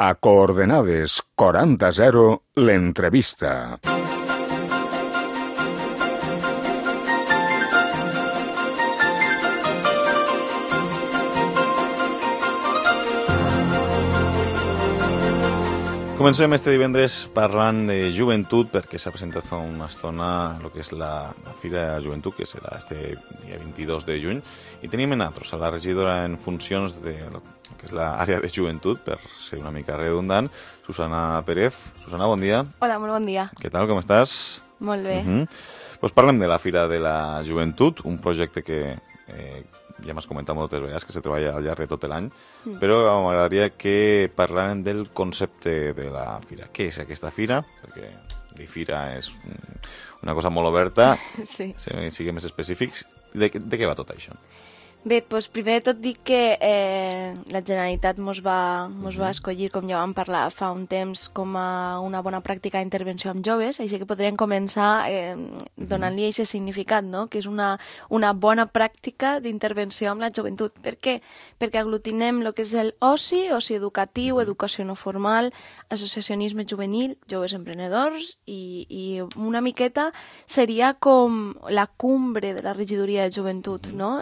A coordenades 40-0, l'entrevista. Comencem este divendres parlant de joventut perquè s'ha presentat fa una estona el que és la Fira de Joventut, que serà este dia 22 de juny, i tenim en altres a la regidora en funcions de lo que és l'àrea de joventut, per ser una mica redundant, Susana Pérez. Susana, bon dia. Hola, molt bon dia. Què tal, com estàs? Molt bé. Pues parlem de la Fira de la Joventut, un projecte que ja m'has comentat moltes vegades que se treballa al llarg de tot l'any, però m'agradaria que parlàrem del concepte de la fira. Què és aquesta fira? Perquè dir fira és una cosa molt oberta. Sí. Siguem més específics. De què va tot això? Bé, doncs primer de tot dic que la Generalitat mos va escollir, com ja vam parlar fa un temps, com a una bona pràctica d'intervenció amb joves, així que podríem començar donant-li aquest significat, no? Que és una bona pràctica d'intervenció amb la joventut. Per què? Perquè aglutinem el que és l'oci, oci educatiu, educació no formal, associacionisme juvenil, joves emprenedors, i una miqueta seria com la cumbre de la regidoria de joventut, no?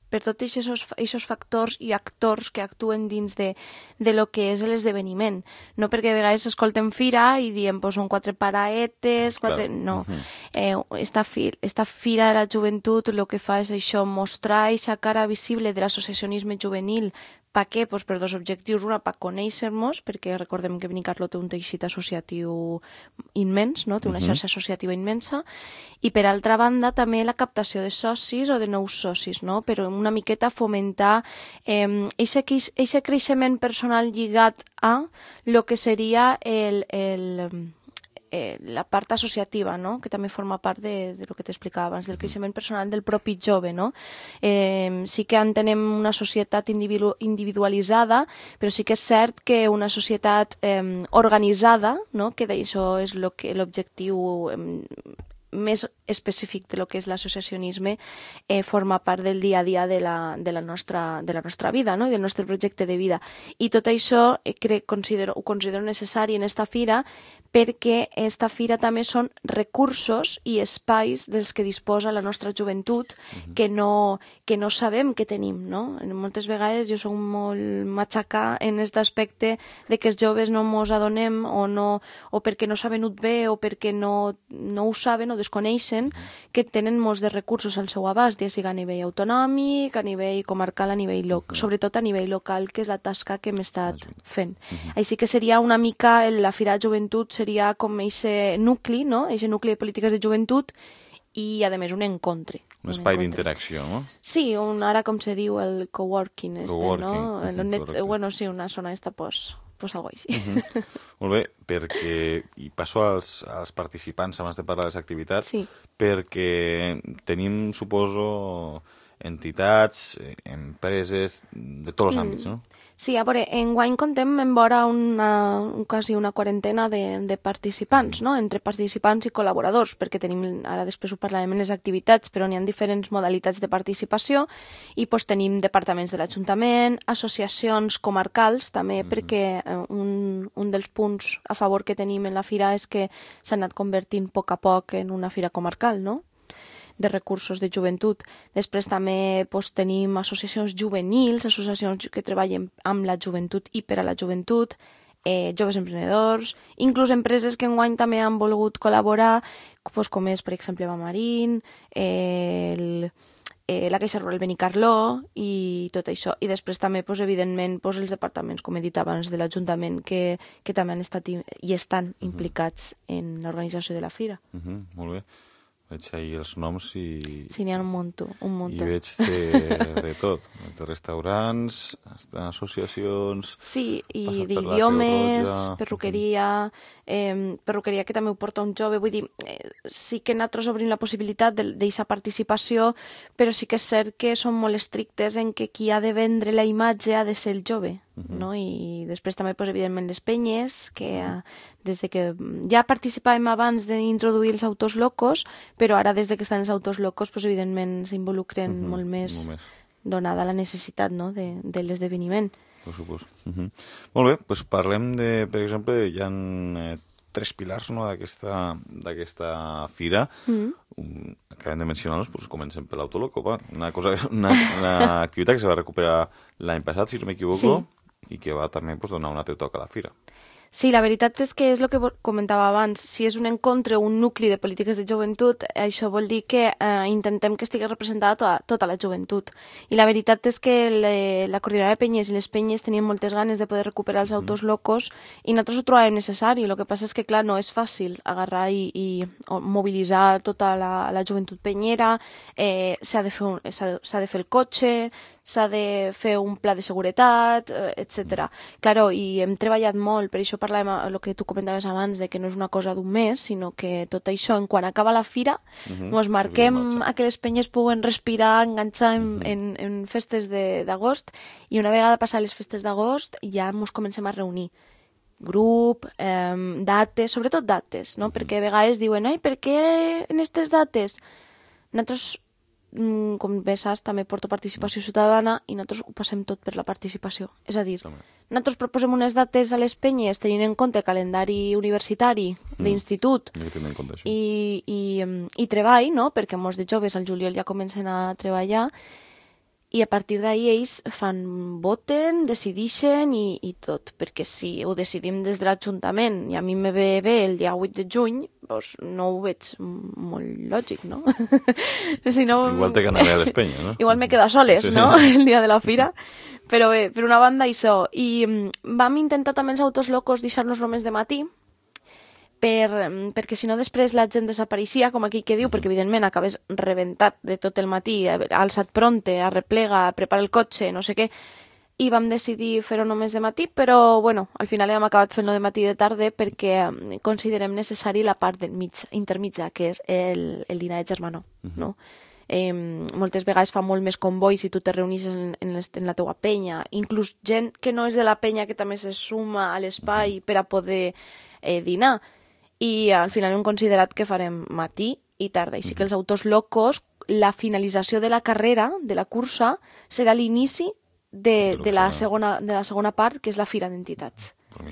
Per tots aquests factors i actors que actuen dins de lo que és l'esdeveniment. No perquè a vegades escoltem fira i diem, pues, són quatre paraetes, no. Esta fira de la joventut el que fa és això, mostrar aquesta cara visible de l'associacionisme juvenil. Per què? Pues per dos objectius. Una, per conèixer-nos, perquè recordem que Benicarló té un teixit associatiu immens, no? Té una xarxa associativa immensa, i per altra banda també la captació de socis o de nous socis, no? Però una miqueta fomentar aquest creixement personal lligat a lo que seria la part associativa, no? Que també forma part de lo que t'explicava abans, del creixement personal del propi jove, no? Sí que entenem una societat individualitzada, però sí que és cert que una societat organitzada, no? Que d'això és l'objectiu més específic de lo que és l'associacionisme, forma part del dia a dia de la nostra vida, no? I del nostre projecte de vida. I tot això ho considero necessari en esta fira, perquè esta fira també són recursos i espais dels que disposa la nostra joventut que no sabem que tenim, no? Moltes vegades jo soc molt matxacà en aquest aspecte de que els joves no mos adonem o perquè no s'ha venut bé o perquè no ho saben o desconeixen que tenen molts de recursos al seu abast, ja sigui a nivell autonòmic, a nivell comarcal, sobretot a nivell local, que és la tasca que hem estat fent. Així que seria una mica, la Fira de Joventut seria com aquest nucli, no? Aquest nucli de polítiques de joventut i, a més, un encontre. Un espai d'interacció, no? Sí, ara com se diu el coworking, no? Bueno, sí, una zona esta, pues algo així. Molt bé, perquè, i passo als participants abans de parlar de les activitats, perquè tenim, suposo, entitats, empreses, de tots els àmbits, no? Sí, a veure, enguany contem en vora quasi una quarantena de participants, no? Entre participants i col·laboradors, perquè tenim, ara després ho parlarem en les activitats, però n'hi ha diferents modalitats de participació i tenim departaments de l'Ajuntament, associacions comarcals també, perquè un dels punts a favor que tenim en la fira és que s'ha anat convertint a poc en una fira comarcal, no? De recursos de joventut. Després també tenim associacions juvenils, associacions que treballen amb la joventut i per a la joventut, joves emprenedors, inclús empreses que enguany també han volgut col·laborar, com és, per exemple, Bamarín, la Caixa Rural Benicarló i tot això. I després també, evidentment, els departaments, com he dit abans, de l'Ajuntament, que també han estat i estan implicats en l'organització de la fira. Molt bé. Veig ahir els noms i... Sí, n'hi ha un munt. I veig de tot, de restaurants, associacions... Sí, i d'idiomes, perruqueria que també ho porta un jove. Vull dir, sí que nosaltres obrim la possibilitat d'aquesta participació, però sí que és cert que som molt estrictes en que qui ha de vendre la imatge ha de ser el jove. No? I després també, evidentment, les penyes, que des de que ja participàvem abans d'introduir els autors locos, però ara des de que estan els autors locos, evidentment s'involucren molt més, donada la necessitat, no? de l'esdeveniment. Per supost. Molt bé, doncs parlem de, per exemple, hi ha tres pilars, no, d'aquesta fira. Acabem de mencionar-los, doncs comencem per l'Autoloco. Una activitat que se va recuperar l'any passat, si no m'equivoco, i que va també donar un altre toc a la fira. Sí, la veritat és que és el que comentava abans. Si és un encontre o un nucli de polítiques de joventut, això vol dir que intentem que estigui representada tota la joventut. I la veritat és que la coordinadora de penyes i les penyes tenien moltes ganes de poder recuperar els autos locos i nosaltres ho trobàvem necessari. El que passa és que, clar, no és fàcil agarrar i mobilitzar tota la joventut penyera, s'ha de fer el cotxe, s'ha de fer un pla de seguretat, etc. Claro, i hem treballat molt, per això parlàvem el que tu comentaves abans, de que no és una cosa d'un mes, sinó que tot això, en quan acaba la fira, ens marquem a que les penyes puguen respirar, enganxar en festes d'agost, i una vegada passar les festes d'agost ja ens comencem a reunir. Grup, dates, sobretot dates, no? Perquè a vegades diuen, ai, per què en aquestes dates? Nosaltres, com bé saps, també porto participació ciutadana i nosaltres ho passem tot per la participació. És a dir, nosaltres proposem unes dates a les penyes tenint en compte el calendari universitari d'institut i treball, no? Perquè molts de joves al juliol ja comencen a treballar i a partir d'ahir ells voten, decidixen i tot, perquè si ho decidim des de l'Ajuntament i a mi me ve bé el dia 8 de juny, doncs no ho veig molt lògic, no? Si no igual te ganaré a l'Espenya, no? Igual me quedo a soles, no? El dia de la fira. Però bé, per una banda això. I vam intentar també els autos locos deixar-nos només de matí, perquè si no després la gent desapareixia, com aquí que diu, perquè evidentment acabes rebentat de tot el matí, alçat pronte, arreplega, prepara el cotxe, no sé què, i vam decidir fer-ho només de matí, però bueno, al final hem acabat fent-lo de matí i de tarda perquè considerem necessari la part intermitja, que és el dinar de germanor, no? Moltes vegades fa molt més comboi si tu te reunís en la teua penya, inclús gent que no és de la penya que també se suma a l'espai per a poder dinar. I al final hem considerat que farem matí i tarda. I sí que els autos locos, la finalització de la carrera, de la cursa, serà l'inici de la segona part, que és la fira d'entitats. O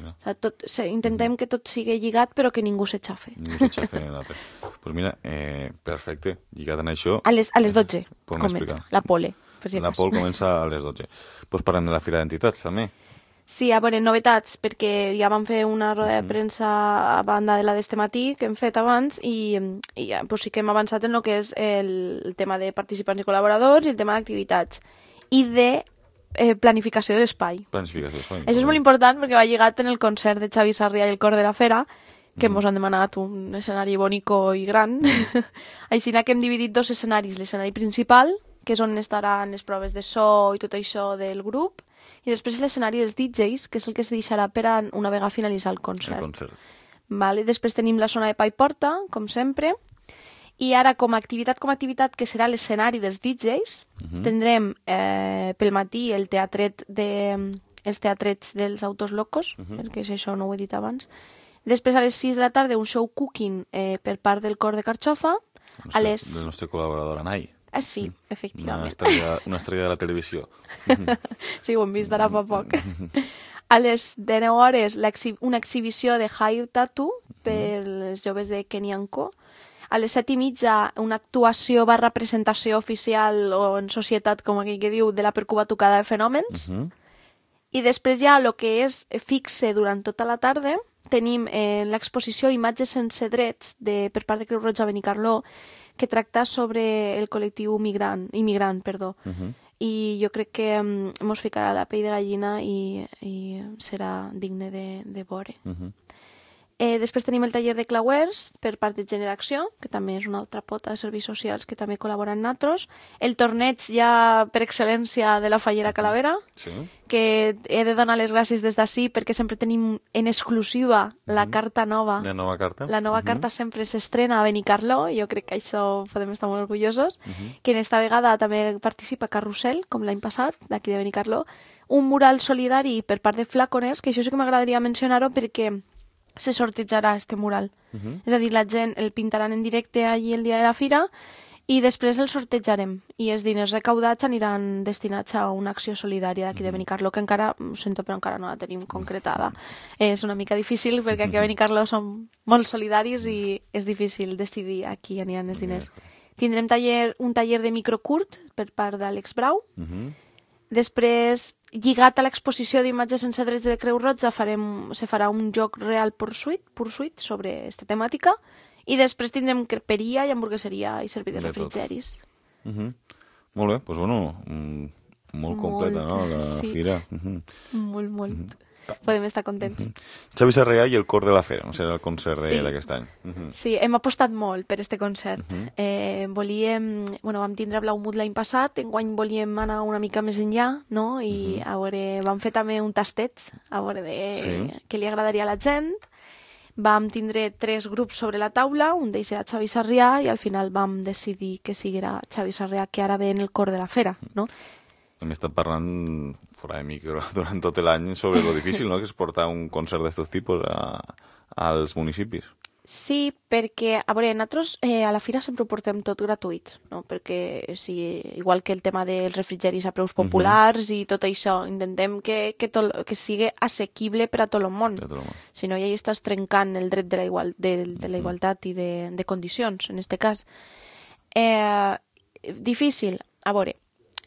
sigui, intentem que tot sigui lligat, però que ningú s'aixafe. Ningú s'aixafe en l'altre. Doncs mira, perfecte. Lligat en això... A les 12 comença, la pole. La pole comença a les 12. Doncs parlem de la fira d'entitats, també. Sí, a veure, novetats, perquè ja vam fer una roda de premsa a banda de la d'este matí, que hem fet abans, i ja, pues sí que hem avançat en el que és el tema de participants i col·laboradors i el tema d'activitats. I de planificació de l'espai. Planificació de l'espai. Això és molt important perquè va lligat en el concert de Xavi Sarrià i el Cor de la Fera, que ens han demanat un escenari bonico i gran. Així que hem dividit dos escenaris. L'escenari principal, que és on estaran les proves de so i tot això del grup, i després l'escenari dels DJs, que és el que se deixarà per a una vegada finalitzar el concert. Vale? Després tenim la zona de pa i porta, com sempre, i ara com a activitat, que serà l'escenari dels DJs, tindrem pel matí els teatrets dels autos locos, perquè això no ho he dit abans. Després a les 6 de la tarda un show cooking per part del Cor de Carxofa. Del nostre col·laborador Anai. Sí, efectivament. Una estrella de la televisió. Sí, ho hem vist d'ara fa poc. A les 19 hores una exhibició de Hair Tattoo per les joves de Kenyanco. A les 7:30 una actuació / presentació oficial o en societat, com aquell que diu, de la percubatucada de fenòmens. I després ja el que és fixe durant tota la tarda tenim l'exposició Imatges sense drets per part de Creu Roja Benicarló, que tracta sobre el col·lectiu immigrant. I jo crec que ens ficarà la pell de gallina i serà digne de veure. Després tenim el taller de clauers per part de Generació, que també és una altra pota de serveis socials que també col·labora amb nosaltres. El torneig ja per excel·lència de la Fallera Calavera, que he de donar les gràcies des d'ací perquè sempre tenim en exclusiva la carta nova. La nova carta. La nova carta sempre s'estrena a Benicarló, i jo crec que això podem estar molt orgullosos. Que en esta vegada també participa Carrusel, com l'any passat, d'aquí de Benicarló. Un mural solidari per part de Flaconers, que això sí que m'agradaria mencionar-ho perquè se sortejarà este mural. És a dir, la gent el pintaran en directe allí el dia de la fira i després els sortejarem i els diners recaudats aniran destinats a una acció solidària d'aquí de Benicarló, que encara, ho sento, però encara no la tenim concretada. És una mica difícil perquè aquí a Benicarló som molt solidaris i és difícil decidir a qui aniran els diners. Tindrem un taller de microcurt per part d'Àlex Brau. Després, lligat a l'exposició d'imatges sense drets de Creu Roja, se farà un joc real pursuit sobre aquesta temàtica. I després tindrem creperia i hamburgueseria i servir de refrigeris. Molt bé, doncs bueno, molt completa, no, la fira. Molt. Podem estar contents. Xavi Sarrià i el Cor de la Fera, no serà el concert d'aquest any. Sí, hem apostat molt per este concert. Vam tindre Blau Mut l'any passat, enguany volíem anar una mica més enllà, no? I a veure, vam fer també un tastet, a veure què li agradaria a la gent. Vam tindre 3 grups sobre la taula, un d'ells era Xavi Sarrià, i al final vam decidir que siguera Xavi Sarrià, que ara ve en el Cor de la Fera, no? Hem estat parlant fora de micro durant tot l'any sobre lo difícil, no?, que és portar un concert d'estos tipus als municipis. Sí, perquè, a veure, nosaltres a la fira sempre ho portem tot gratuït, no? Perquè, igual que el tema dels refrigeris a preus populars i tot això, intentem que sigui assequible per a tot el món. Si no, ja hi estàs trencant el dret de la igualtat i de condicions, en aquest cas. Difícil, a veure,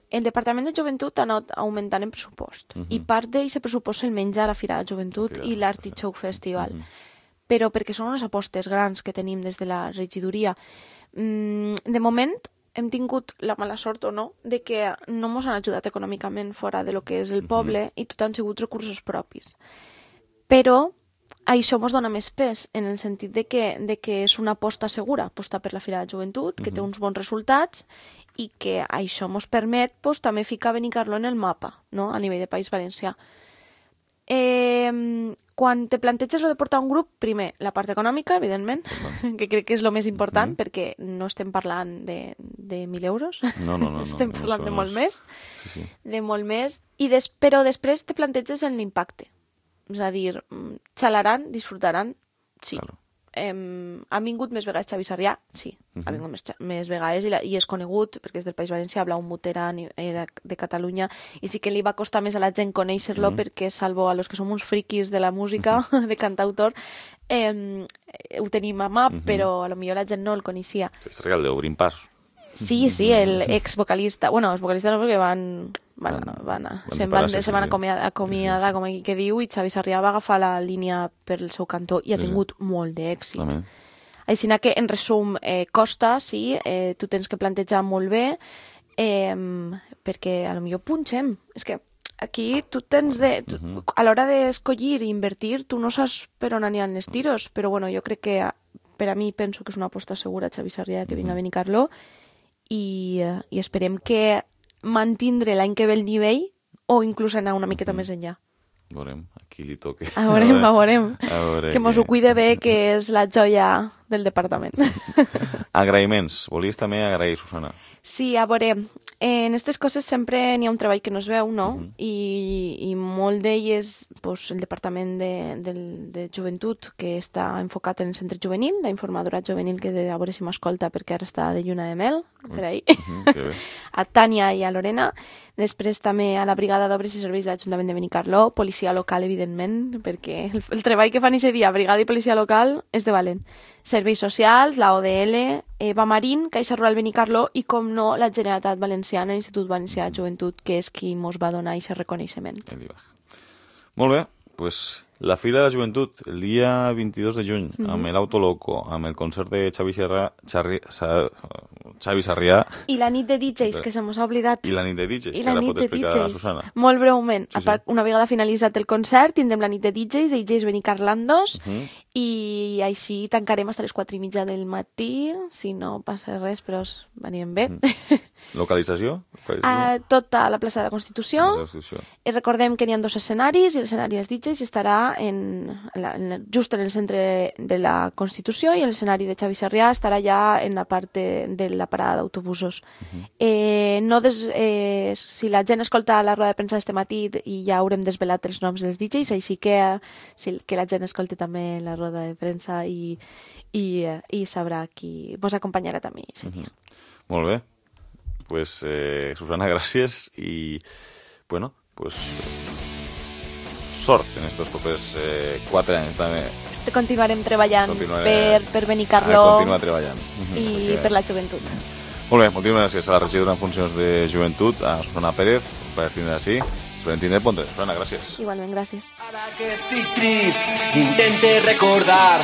el Departament de Joventut ha anat augmentant en pressupost i part d'aquest pressupost se'l menja a la Fira de Joventut i l'Artichoke Festival. Però perquè són unes apostes grans que tenim des de la regidoria. De moment hem tingut la mala sort o no de que no ens han ajudat econòmicament fora de lo que és el poble i tot han sigut recursos propis. Però això ens dona més pes en el sentit de que és una aposta segura, apostar per la Fira de Joventut, que té uns bons resultats i que això ens permet també ficar Benicarló en el mapa, no?, a nivell de País Valencià. Quan te planteges de portar un grup, primer, la part econòmica, evidentment, que crec que és el més important, perquè no estem parlant de 1.000 euros, estem parlant de molt més, de molt més, però després te planteges en l'impacte. És a dir, xalaran, disfrutaran, sí. Ha vingut més vegades Xavi Sarrià? Sí, ha vingut més vegades i és conegut perquè és del País Valencià, Blau Mut era de Catalunya i sí que li va costar més a la gent conèixer-lo perquè, salvo a los que som uns friquis de la música, de cantautor, ho tenim a mà, però a lo millor la gent no el coneixia. És real d'obrir pas. Sí, el ex-vocalista, bueno, els vocalistes no, perquè se van acomiadar, com aquí que diu, i Xavi Sarrià va agafar la línia per el seu cantó i ha tingut molt d'èxit. Així que, en resum, costa, sí, tu tens que plantejar molt bé, perquè a lo millor punxem. És que aquí tu tens a l'hora d'escollir i invertir, tu no saps per on aniran els tiros, però bueno, jo crec que per a mi penso que és una aposta segura Xavi Sarrià que vinga a Benicarló i esperem que mantindre l'any que ve el nivell o inclús anar una miqueta més enllà. Veurem, aquí li toca. Veurem. Que mos ho cuide bé, que és la joia del departament. Agraïments. Volies també agrair, Susana? Sí, a veure, en aquestes coses sempre n'hi ha un treball que no es veu, no? I molt d'ell és el Departament de Joventut, que està enfocat en el centre juvenil, la informadora juvenil, que a veure si m'escolta perquè ara està de lluna de mel, per ahí, a Tània i a Lorena. Després també a la Brigada d'Obres i Serveis de l'Ajuntament de Benicarló, policia local, evidentment, perquè el treball que fan aquest dia, brigada i policia local, és de valent. Serveis socials, la ODL, Eva Marín, Caixa Rural Benicarló i, com no, la Generalitat Valenciana, l'Institut Valencià de Joventut, que és qui ens va donar aquest reconeixement. Molt bé, doncs la Fira de la Joventut, el dia 22 de juny, amb l'Autoloco, amb el concert de Xavi Sarrià. I la nit de DJs, que se mos ha oblidat. I la nit de DJs, que la pot explicar la Susana. Molt breument. Una vegada finalitzat el concert, tindrem la nit de DJs, DJs Benicarlandos, i així tancarem fins a les 4:30 del matí, si no passa res, però anirem bé. Localització? Tota la plaça de la Constitució. Recordem que n'hi ha 2 escenaris, i l'escenari dels DJs estarà just en el centre de la Constitució i l'escenari de Xavi Sarrià estarà ja en la part de la parada d'autobusos. Si la gent escolta la roda de premsa d'este matí i ja haurem desvelat els noms dels DJs, així que la gent escolti també la roda de premsa i sabrà qui ens acompanyarà també aquest dia. Molt bé. Pues, Susana, gràcies i, bueno, pues, sort en estos propers 4 anys també. Continuarem treballant per Benicarló continuar treballant. I per la joventut. Molt bé, moltíssimes gràcies a la regidora en funcions de joventut, a Susana Pérez, per tindre així. Esperem tindre ponte. Susana, gràcies. Igualment, gràcies. Ara que estic trist, intente recordar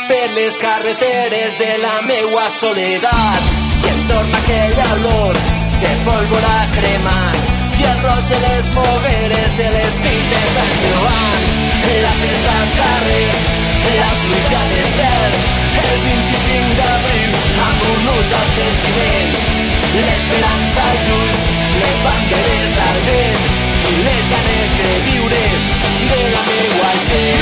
per les carreteres de la meua soledat i em torna aquell olor de pólvora cremant i el roig de les fogueres de les nits de Sant Joan, la festa als carrers, la pluja d'estels, el 25 d'abril amb un ús als sentiments, l'esperança als ulls, les banderes al vent i les ganes de viure de la meua gent.